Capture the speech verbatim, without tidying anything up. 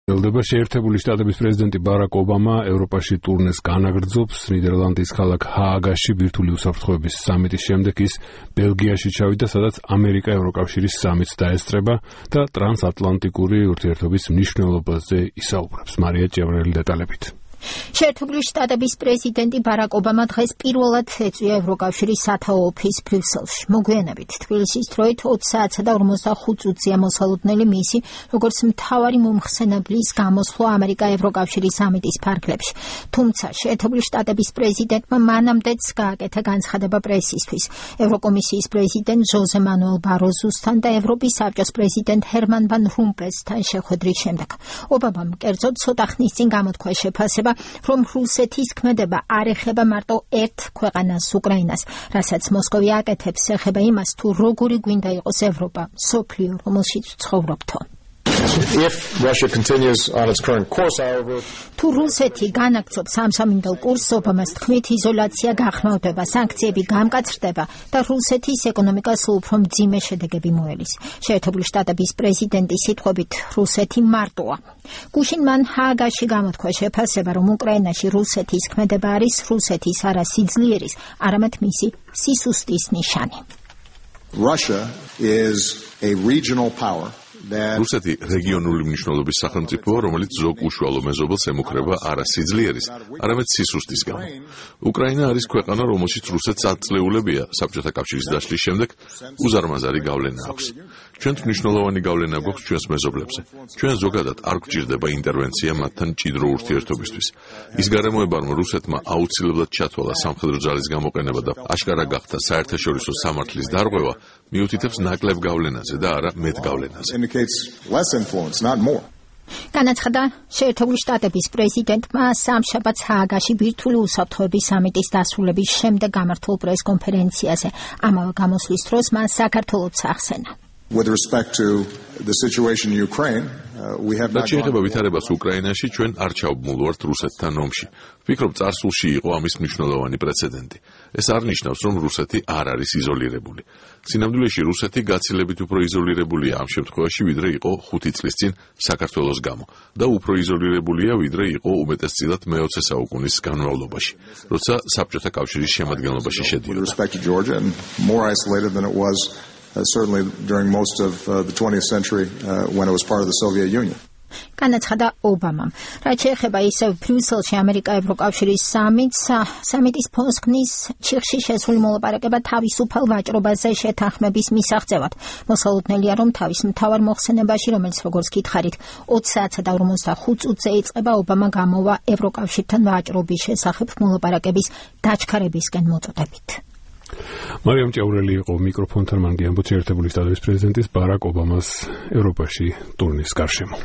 ელდება შეერთებული შტატების პრეზიდენტი ბარაკ ობამა ევროპაში ტურნეს განაგრძობს. ნიდერლანდის ქალაქ ჰააგაში ბირთვული უსაფრთხოების სამიტის შემდეგ ის ბელგიაში ჩავიდა, სადაც ამერიკა ევროკავშირის სამიტს დაესწრება და ტრანსატლანტიკური ურთიერთობის მნიშვნელობაზე ისაუბრებს. მარია ჭევრელი დეტალებით. შეერთებული შტატების პრეზიდენტი ბარაკ ობამა დღეს პირველად ეწვია ევროკავშირის სათაო ოფისს ბრიუსელში. მოგვიანებით თბილისის დროით ოცი საათსა და ორმოცდახუთ წუთზეა მოსალოდნელი მისი, როგორც მთავარი მომხსენებლის გამოსვლა ამერიკა-ევროკავშირის სამიტის ფარგლებში. თუმცა შეერთებული შტატების პრეზიდენტმა მანამდეც გააკეთა განცხადება პრესისთვის. ევროკომისიის პრეზიდენტ ჟოზე მანუელ ბაროზუსთან და ევროპის საბჭოს პრეზიდენტ ჰერმან ვან რომპელსთან შეხვედრის შემდეგ. ობამამ კერძოდ ცოტა ხნის წინ გამოთქვა შეფასება, რომ რუსეთის ქმედება არ ეხება მარტო ერთ ქვეყანას, უკრაინას, რასაც მოსკოვი აკეთებს, ეხება იმას, თუ როგორი გვინდა იყოს ევროპა, მსოფლიო, რომელშიც ვცხოვრობთო. If Russia continues on its current course, however, თუ რუსეთი განაგრძობს სამსამინდელ კურსს, ობამას თქმით, იზოლაცია გახმოვდება, სანქციები გამკაცრდება და რუსეთის ეკონომიკას უფრო მძიმე შედეგები მოელის. შეერთებული შტატების პრეზიდენტის სიტყვებით, რუსეთი მარტოა. გუშინ მან ჰააგაში გამოთქვა შეფასება, რომ უკრაინაში რუსეთის ქმედება არის რუსეთის არა სიძლიერის, არამედ მისი სისუსტის ნიშანი. Russia is a regional power. რუსეთი რეგიონული მნიშვნელობის სახელმწიფოა, რომელიც ზოგ უშუალო მეზობელს ემუქრება არა სიძლიერის, არამედ სისუსტის გამო. უკრაინა არის ქვეყანა, რომელშიც რუსეთს ათწლეულებია საბჭოთა კავშირის დაშლის შემდეგ უზარმაზარი გავლენა აქვს. ჩვენთ მნიშვნელოვანი გავლენა გვაქვს ჩვენს მეზობლებზე. ჩვენ ზოგადად არ გვჭირდება ინტერვენცია მათთან მჭიდრო ურთიერთობისთვის. ის გარემოება, რომ რუსეთმა აუცილებლად ჩათვალა სამხედრო ძალის გამოყენება და აშკარა გახდა საერთაშორისო სამართლის დარღვევა, მიუთითებს ნაკლებ გავლენაზე და არა მეტ გავლენაზე. განაცხადა შეერთებული შტატების პრეზიდენტმა სამშაბათს ჰააგაში ბირთვული უსაფრთხოების სამიტის დასრულების შემდეგ გამართულ პრეს-კონფერენციაზე. ამავე გამოსვლის დროს მან საქართველოს ახსენა. With respect to the situation in Ukraine, uh, we have not შეეხება ვითარებას უკრაინაში, ჩვენ არ ჩავმულვართ რუსეთთან ომში. ვფიქრობ, წარსულში იყო ამის მნიშვნელოვანი პრეცედენტი. ეს არ ნიშნავს, რომ რუსეთი არ არის იზოლირებული. სინამდვილეში რუსეთი გაცილებით უფრო იზოლირებულია ამ შემთხვევაში, ვიდრე იყო ხუთი წლის წინ საქართველოს გამო და უფრო იზოლირებულია, ვიდრე იყო უმეტესწილად მეოცე საუკუნის განმავლობაში, როცა საბჭოთა კავშირის შემადგენლობაში შედიოდა. Uh, certainly during most of uh, the twentieth century uh, when it was part of the Soviet Union. განაცხადა ობამამ. რაც შეეხება ისევ ბრიუსელში ამერიკა-ევროკავშირის სამიტს, სამიტის ფონსკნის ჩიხში შესული მოლაპარაკება თავისუფალ ვაჭრობაზე შეთანხმების მისაღწევად. მოსალოდნელია, რომ თავის მთავარ მოხსენებაში, რომელიც როგორც გითხარით, ოცი საათსა და ორმოცდახუთ წუთზე იწყება, ობამა გამოვა ევროკავშირთან ვაჭრობის შესახებ მოლაპარაკების დაჩქარებისკენ მოწოდებით. მარიამ ჭევრელი იყო მიკროფონთან, მან გიამბო შეერთებული შტატების პრეზიდენტის ბარაკ ობამას ევროპაში ტურნის გარშემო.